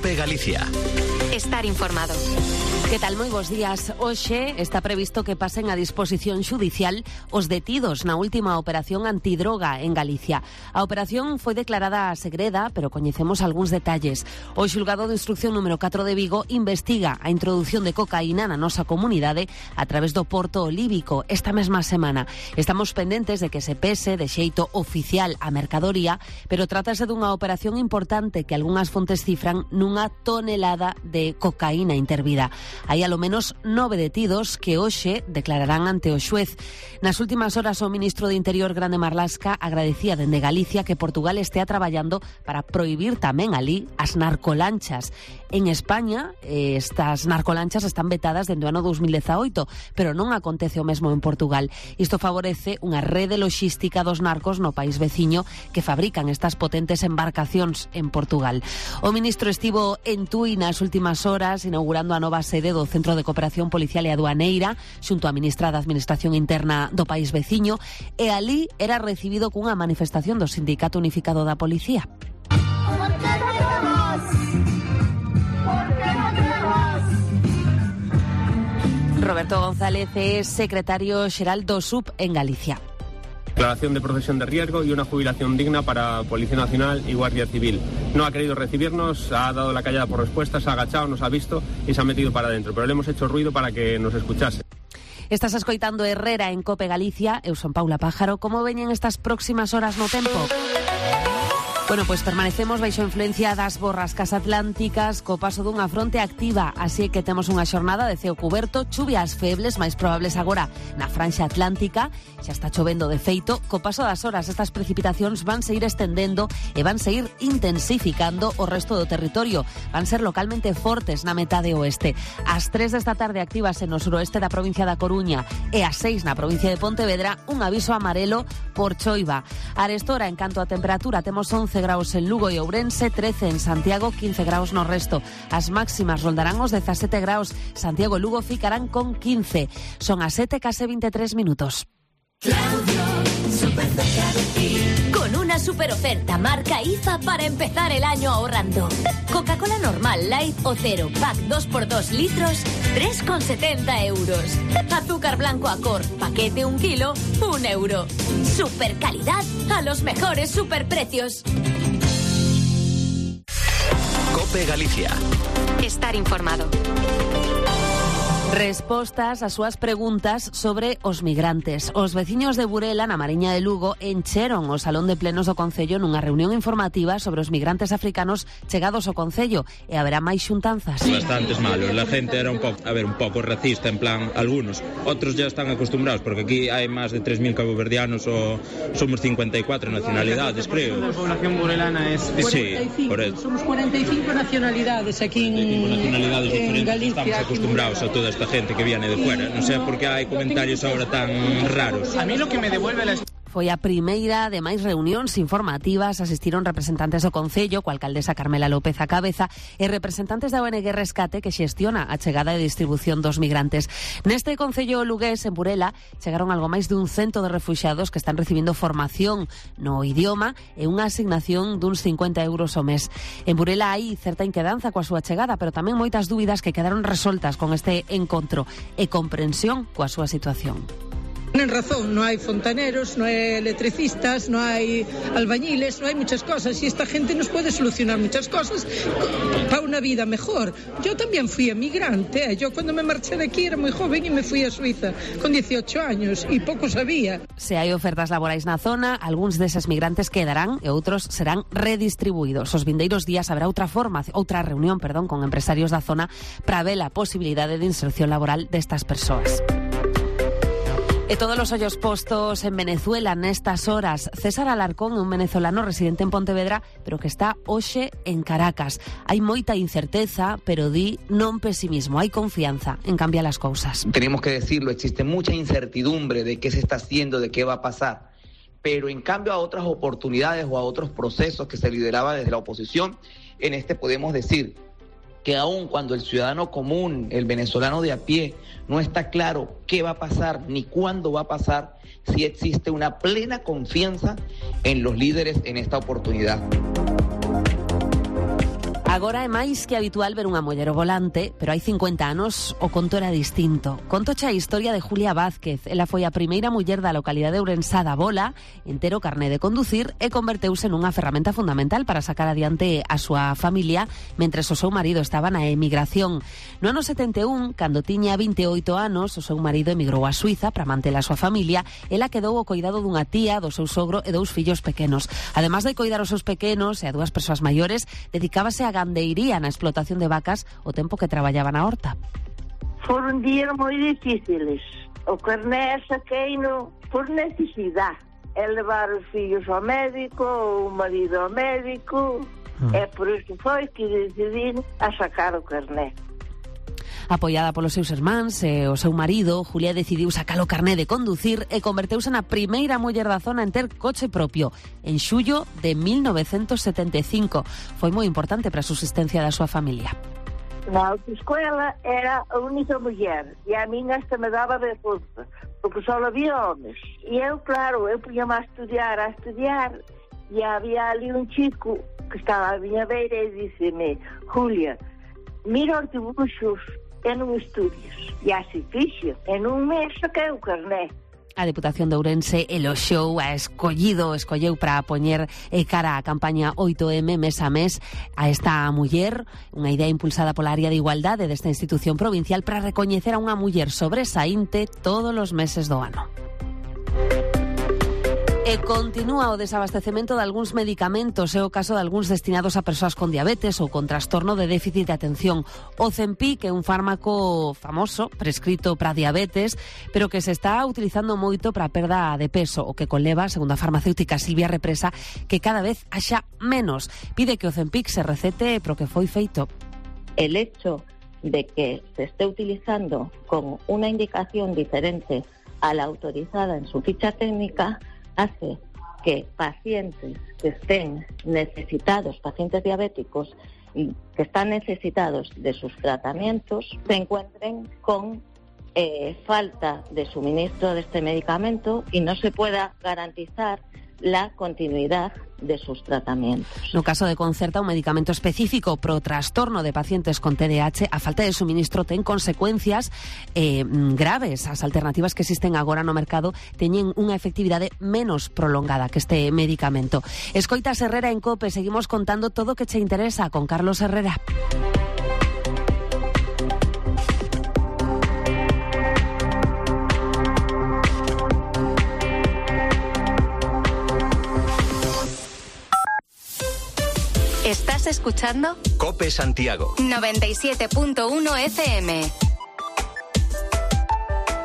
COPE Galicia. Estar informado. Que tal? Moi bons días. Hoxe está previsto que pasen a disposición xudicial os detidos na última operación antidroga en Galicia. A operación foi declarada segreda, pero coñecemos algúns detalles. O xulgado de instrucción número 4 de Vigo investiga a introdución de cocaína na nosa comunidade a través do porto olívico esta mesma semana. Estamos pendentes de que se pese de xeito oficial a mercadoría, pero trátase dunha operación importante que algunhas fontes cifran nunha tonelada de cocaína intervida. Hai alo menos 9 detidos que hoxe declararán ante o xuez. Nas últimas horas o ministro de Interior, Grande Marlaska, agradecía dende Galicia que Portugal estea traballando para prohibir tamén alí as narcolanchas. En España, estas narcolanchas están vetadas dende o ano 2018, pero non acontece o mesmo en Portugal. Isto favorece unha rede loxística dos narcos no país veciño que fabrican estas potentes embarcacións en Portugal. O ministro estivo en Tui nas últimas horas inaugurando a nova sede do Centro de Cooperación Policial e Aduaneira xunto á ministra da Administración Interna do país veciño, e alí era recibido cunha manifestación do Sindicato Unificado da Policía. Roberto González é secretario xeral do SUB en Galicia. Declaración de profesión de riesgo y una jubilación digna para Policía Nacional y Guardia Civil. No ha querido recibirnos, ha dado la callada por respuesta, se ha agachado, nos ha visto y se ha metido para adentro, pero le hemos hecho ruido para que nos escuchase. Estás escoitando Herrera en COPE Galicia. Eu son Paula Pájaro. Como veñen estas próximas horas no tempo? Bueno, pois permanecemos baixo influencia das borrascas atlánticas co paso dunha fronte activa, así que temos unha xornada de ceo cuberto, chuvias febles, máis probables agora na franxa atlántica, xa está chovendo de feito, co paso das horas estas precipitacións van se ir estendendo e van se ir intensificando o resto do territorio, van ser localmente fortes na metade oeste. Ás 3 desta tarde actívase no suroeste da provincia da Coruña e ás 6 na provincia de Pontevedra un aviso amarelo por choiva. Arestora, en canto a temperatura, temos 11 graus en Lugo e Ourense, 13 en Santiago, 15 graus no resto. As máximas rondarán os 17 graus. Santiago e Lugo ficarán con 15. Son as 7 case 23 minutos. Claudio, súper cerca de ti. Con una super oferta marca IFA para empezar el año ahorrando. Coca-Cola normal, light o cero, pack 2x2 litros, 3,70 euros. Azúcar blanco Acor, paquete 1 kilo, 1 euro. Super calidad a los mejores superprecios. COPE Galicia. Estar informado. Respostas ás súas preguntas sobre os migrantes. Os veciños de Burela, na Mariña de Lugo, encheron o salón de plenos do Concello nunha reunión informativa sobre os migrantes africanos chegados ao Concello, e haberá máis xuntanzas. Bastantes malos, la gente era un poco racista, en plan, algunos. Otros ya están acostumbrados, porque aquí hay más de 3.000 caboverdianos o somos 54 nacionalidades, creo. La población burelana es... Sí, por eso. Somos 45 nacionalidades aquí en Galicia. Estamos acostumbrados a toda esta gente que viene de fuera. No sé por qué hay comentarios ahora tan raros. A mí lo que me devuelve la... Foi a primeira de máis reunións informativas. Asistiron representantes do Concello, coa alcaldesa Carmela López a cabeza, e representantes da ONG Rescate, que xestiona a chegada e distribución dos migrantes. Neste Concello lugués, en Burela, chegaron algo máis dun 100 de refuxiados que están recibindo formación no idioma e unha asignación duns 50 euros ao mes. En Burela hai certa inquedanza coa súa chegada, pero tamén moitas dúbidas que quedaron resoltas con este encontro e comprensión coa súa situación. Tienen razón, no hay fontaneros, no hay electricistas, no hay albañiles, no hay muchas cosas, y esta gente nos puede solucionar muchas cosas para una vida mejor. Yo también fui emigrante, yo cuando me marché de aquí era muy joven y me fui a Suiza con 18 años y poco sabía. Se hai ofertas laborais na zona, algúns deses migrantes quedarán e outros serán redistribuídos. Os vindeiros días haberá outra reunión con empresarios da zona para ver a posibilidade de inserción laboral destas persoas. E todos os ollos postos en Venezuela nestas horas. César Alarcón é un venezolano residente en Pontevedra, pero que está hoxe en Caracas. Hai moita incerteza, pero di non pesimismo, hai confianza en cambiar as cousas. Tenemos que decirlo, existe mucha incertidumbre de qué se está haciendo, de qué va a pasar, pero en cambio a otras oportunidades o a otros procesos que se lideraba desde la oposición, en este podemos decir que aun cuando el ciudadano común, el venezolano de a pie, no está claro qué va a pasar ni cuándo va a pasar, sí existe una plena confianza en los líderes en esta oportunidad. Agora é máis que habitual ver unha muller ao volante, pero hai 50 anos o conto era distinto. Contoche a historia de Julia Vázquez. Ela foi a primeira muller da localidade ourensá da Bola en ter o carné de conducir e converteuse nunha ferramenta fundamental para sacar adiante a súa familia mentres o seu marido estaba na emigración. No ano 71, cando tiña 28 anos, o seu marido emigrou a Suiza para manter a súa familia. Ela quedou ao coidado dunha tía, do seu sogro e 2 fillos pequenos. Ademais de coidar os seus pequenos e a 2 persoas maiores, dedicábase a gandeiría na explotación de vacas o tempo que traballaba na horta. Foron días moi difíciles. O carné saqueino por necesidade. É levar os fillos ao médico, o marido ao médico, e por iso foi que decidí a sacar o carné. Apoiada polos seus irmáns e o seu marido, Julia decidiu sacar o carné de conducir e converteuse na primeira muller da zona en ter coche propio, en xullo de 1975. Foi moi importante para a subsistencia da súa familia. Na autoescola era a única muller e a minha hasta me daba vergonza, porque só había homes. E eu, claro, eu punha-me a estudiar, e había ali un chico que estaba a miña beira e disse-me: Julia, mira os dibuxos e non estudias. E así fixo. En un mes saquei o carné. A Deputación de Ourense eloxou, escolleu para poñer cara á campaña 8M mes a mes a esta muller, unha idea impulsada pola área de igualdade desta institución provincial para recoñecer a unha muller sobresaínte todos os meses do ano. E continúa o desabastecemento de algúns medicamentos, é o caso de algúns destinados a persoas con diabetes ou con trastorno de déficit de atención. O Ozempic é un fármaco famoso, prescrito para diabetes, pero que se está utilizando moito para a perda de peso, o que conleva, segundo a farmacéutica Silvia Represa, que cada vez haxa menos. Pide que o Ozempic se recete pro que foi feito. El hecho de que se esté utilizando con una indicación diferente a la autorizada en su ficha técnica hace que pacientes que estén necesitados, pacientes diabéticos que están necesitados de sus tratamientos, se encuentren con falta de suministro de este medicamento y no se pueda garantizar la continuidad de sus tratamientos. No caso de Concerta, un medicamento específico pro trastorno de pacientes con TDAH, a falta de suministro ten consecuencias graves. As alternativas que existen agora no mercado teñen unha efectividade menos prolongada que este medicamento. Escoitas Herrera en COPE, seguimos contando todo o que che interesa con Carlos Herrera. ¿Estás escuchando? COPE Santiago 97.1 FM.